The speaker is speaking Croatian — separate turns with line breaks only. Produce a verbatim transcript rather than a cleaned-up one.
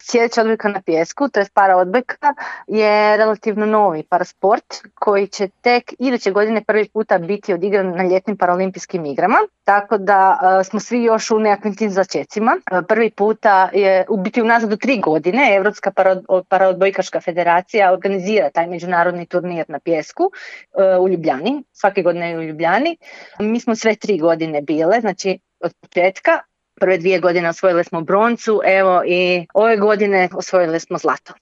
Sljedeća odbojka na pijesku, to je para odbojka, je relativno novi parasport koji će tek iduće godine prvi puta biti odigran na ljetnim paraolimpijskim igrama, tako da uh, smo svi još u nekakvim tim začecima. Uh, prvi puta je u biti unazad do tri godine Europska paraodbojkaška federacija organizira taj međunarodni turnir na pijesku uh, u Ljubljani, svake godine je u Ljubljani. Mi smo sve tri godine bile, znači od početka. Prve dvije godine osvojili smo broncu, evo i ove godine osvojili smo zlato.